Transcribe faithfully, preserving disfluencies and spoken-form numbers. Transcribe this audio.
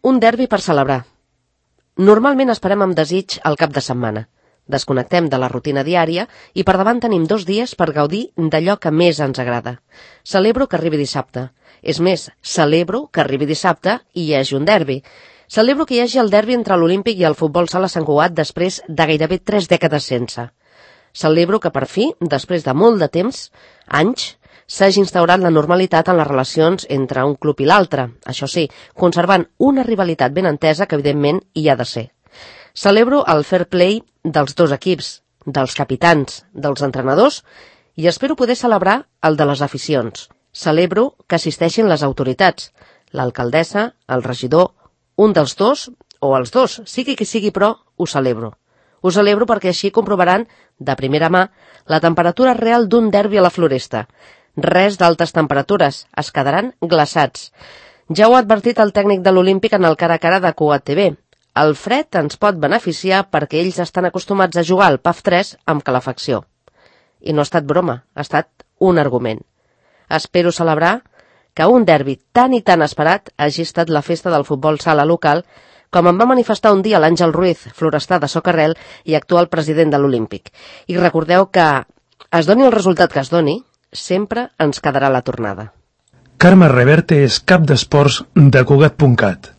Un derbi per celebrar. Normalment esperem amb desig el cap de setmana. Desconnectem de la rutina diària i per davant tenim dos dies per gaudir d'allò que més ens agrada. Celebro que arribi dissabte. És més, celebro que arribi dissabte i hi hagi un derbi. Celebro que hi hagi el derbi entre l'Olímpic i el Futbol Sala Sant Cugat després de gairebé tres dècades sense. Celebro que per fi, després de molt de temps, anys, s'hagi instaurat la normalitat en les relacions entre un club i l'altre, això sí, conservant una rivalitat ben entesa que evidentment hi ha de ser. Celebro el fair play dels dos equips, dels capitans, dels entrenadors i espero poder celebrar el de les aficions. Celebro que assisteixin les autoritats, l'alcaldessa, el regidor, un dels dos o els dos, sigui qui sigui però, ho celebro. Ho celebro perquè així comprovaran, de primera mà, la temperatura real d'un derbi a la Floresta. Res d'altes temperatures, es quedaran glaçats. Ja ho ha advertit el tècnic de l'Olímpic en el cara a cara de Cugat T V. El fred ens pot beneficiar perquè ells estan acostumats a jugar al P A F tres amb calefacció. I no ha estat broma, ha estat un argument. Espero celebrar que un derbi tan i tan esperat hagi estat la festa del futbol sala local, com em va manifestar un dia l'Àngel Ruiz, florestà de Socarrel i actual president de l'Olímpic. I recordeu que, es doni el resultat que es doni, sempre ens quedarà la tornada. Carme Reverte és cap d'esports de Cugat punt cat.